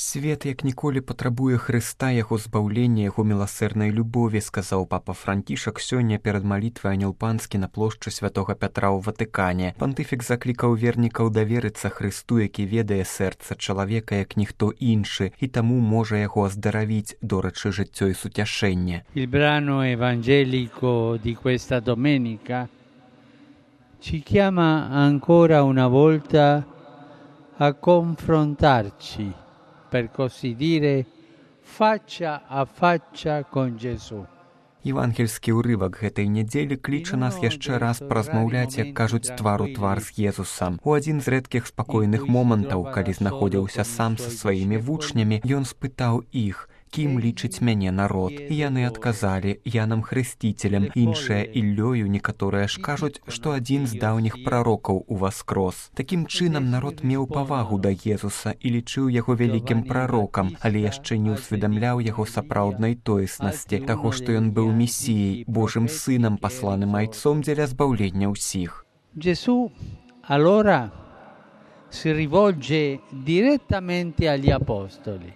Свет, як ніколі, патрабуе Хрыста, яго збаўлення, яго міласэрнай любові, сказаў папа Францішак сёння перад малітвай Анёл Панскі на плошчы Святога Пятра ў Ватыкане. Пантыфік заклікаў вернікаў даверыцца Хрысту, які ведае сэрца чалавека, як ніхто іншы, і таму можа яго аздаравіць, дорачы жыццё і суцяшэнне. Il brano evangelico di questa domenica ci chiama ancora una volta a confrontarci, per così dire, faccia a faccia con Gesù. Евангельскі ўрывак гэтай нядзелі кліча нас яшчэ раз паразмаўляць, як кажуць, твар у твар з Езусам. У адзін з рэдкіх спакойных момантаў, калі знаходзіўся сам са сваімі вучнямі, ён спытаў іх: «Кім лічыць мяне народ?» І яны адказалі: «Янам Хрысціцелем, іншыя Іллёю, некаторыя ж кажуць, што адзін з даўніх прарокаў уваскрос». Такім чынам народ меў павагу да Езуса і лічыў яго вялікім прарокам, але яшчэ не ўсведамляў яго сапраўднай тоеснасці, таго, што ён быў месіяй, Божым сынам, пасланым айцом дзеля збаўлення ўсіх. Gesù allora si rivolge direttamente agli apostoli.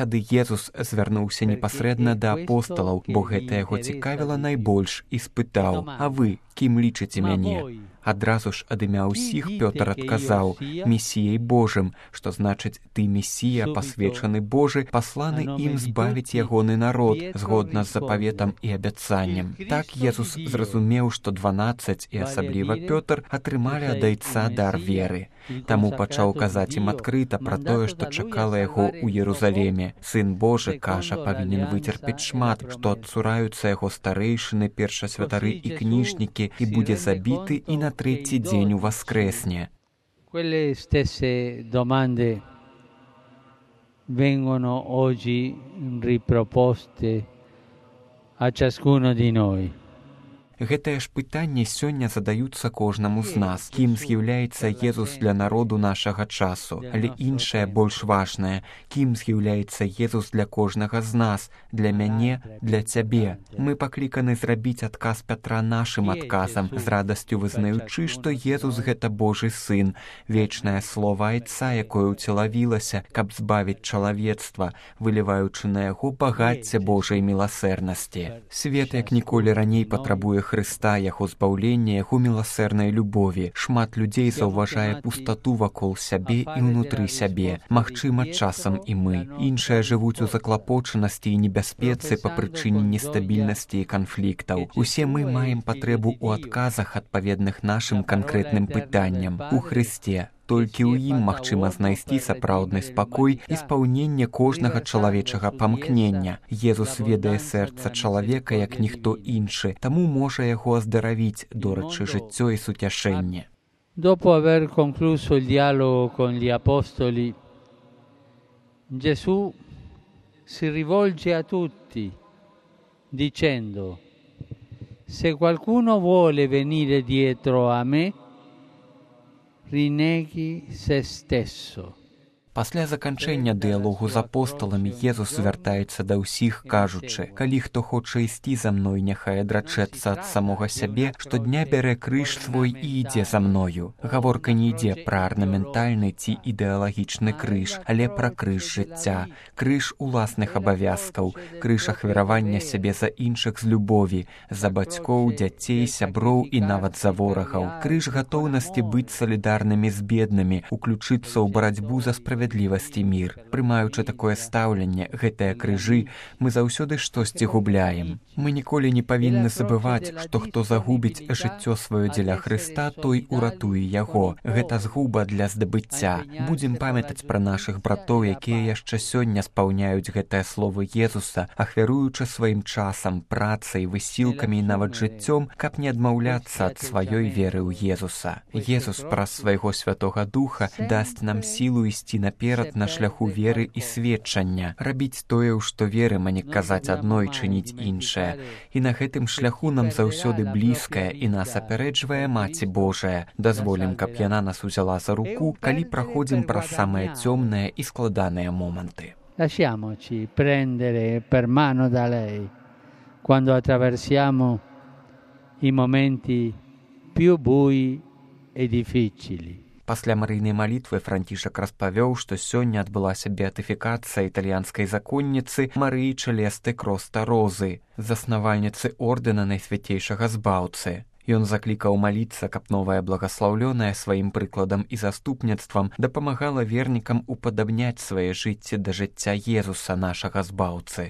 Тады Езус звярнуўся непасрэдна да апосталаў, бо гэта яго цікавіла найбольш, і спытаў: «А вы кім лічыце мяне?» Адразу ж ад імя ўсіх Пётр адказаў: «Месіяй Божым», што значыць «ты Месія, пасвечаны Божы, пасланы ім збавіць ягоны народ, згодна з запаветам і абяцаннем». Так Езус зразумеў, што 12, і асабліва Пётр, атрымалі ад айца дар веры. Таму пачаў казаць ім адкрыта пра тое, што чакала яго ў Єрусаліме. Сын Божы, кажа, павінен выцерпець шмат, што адцураюцца яго старэйшыны, першасвятары і кніжнікі, і будзе забіты, і на трэці дзень уваскрэсне. Quelle stesse domande vengono oggi riproposte a ciascuno di noi. Гэтае ж пытанне сёння задаюцца кожнаму з нас. Кім з'яўляецца Езус для народу нашага часу? Але іншае больш важнае. Кім з'яўляецца Езус для кожнага з нас? Для мяне, для цябе? Мы пакліканы зрабіць адказ Пятра нашым адказам, з радасцю вызнаючы, што Езус — гэта Божы сын, вечнае слова айца, якое ўцелавілася, каб збавіць чалавецтва, выліваючы на яго багацце Божай міласэрнасці. Свет, як ніколі раней, патрабуе Хрыста, яго збаўлення, яго міласэрнай любові. Шмат людзей заўважае пустату вакол сябе і ўнутры сябе. Магчыма, часам і мы. Іншыя жывуць у заклапочанасці і небяспецы па прычыне нестабільнасці і канфліктаў. Усе мы маем патрэбу ў адказах, адпаведных нашым канкрэтным пытанням. У Хрысце. Толькі ў ім магчыма знайсці сапраўдны спакой і спаўненне кожнага чалавечага памкнення. Езус ведае сэрца чалавека, як ніхто іншы, таму можа яго аздаравіць, дорачы жыццё і суцяшэнне. Dopo aver concluso il dialogo con gli apostoli, Gesù si rivolge a tutti dicendo: «Se qualcuno vuole venire dietro a me, rineghi se stesso». Пасля заканчэння дыялогу з апосталамі Езус звяртаецца да ўсіх, кажучы: «Калі хто хоча ісці за мной, няхай адрачэцца ад самога сябе, штодня бярэ крыж свой і ідзе за мною». Гаворка не ідзе пра арнаментальны ці ідэалагічны крыж, але пра крыж жыцця, крыж уласных абавязкаў, крыж ахвяравання сябе за іншых з любові, за бацькоў, дзяцей, сяброў і нават за ворагаў, крыж гатоўнасці быць салідарнымі з беднымі, уключыцца ў барацьбу за справядлівасць і мір. Прымаючы такое стаўленне, гэтыя крыжы, мы заўсёды штосьці губляем. Мы ніколі не павінны забываць, што хто загубіць жыццё сваё дзеля Хрыста, той уратуе яго. Гэта згуба для здабыцця. Будзем памятаць пра нашых братоў, якія яшчэ сёння спаўняюць гэтыя словы Езуса, ахвяруючы сваім часам, працай, высілкамі і нават жыццём, каб не адмаўляцца ад сваёй веры ў Езуса. Езус праз свайго Святога Духа дасць нам сілу ісці наперад на шляху веры і сведчання, рабіць тое, ў што верым, а не казаць адно і чыніць іншае. І на гэтым шляху нам заўсёды блізкая і нас апярэджвае Маці Божая. Дазволім, каб яна нас узяла за руку, калі праходзім праз самыя цёмныя і складаныя моманты. Lasciamoci prendere per mano da lei quando attraversiamo i momenti più bui e difficili. Пасля марыйнай малітвы Францішак распавёў, што сёння адбылася беатыфікацыя італьянскай законніцы Марыі Чэлесты Кроста-Розы, заснавальніцы ордэна Найсвяцейшага Збаўцы. Ён заклікаў маліцца, каб новая благаслаўлёная сваім прыкладам і заступніцтвам дапамагала вернікам упадабняць свае жыцці да жыцця Езуса, нашага Збаўцы.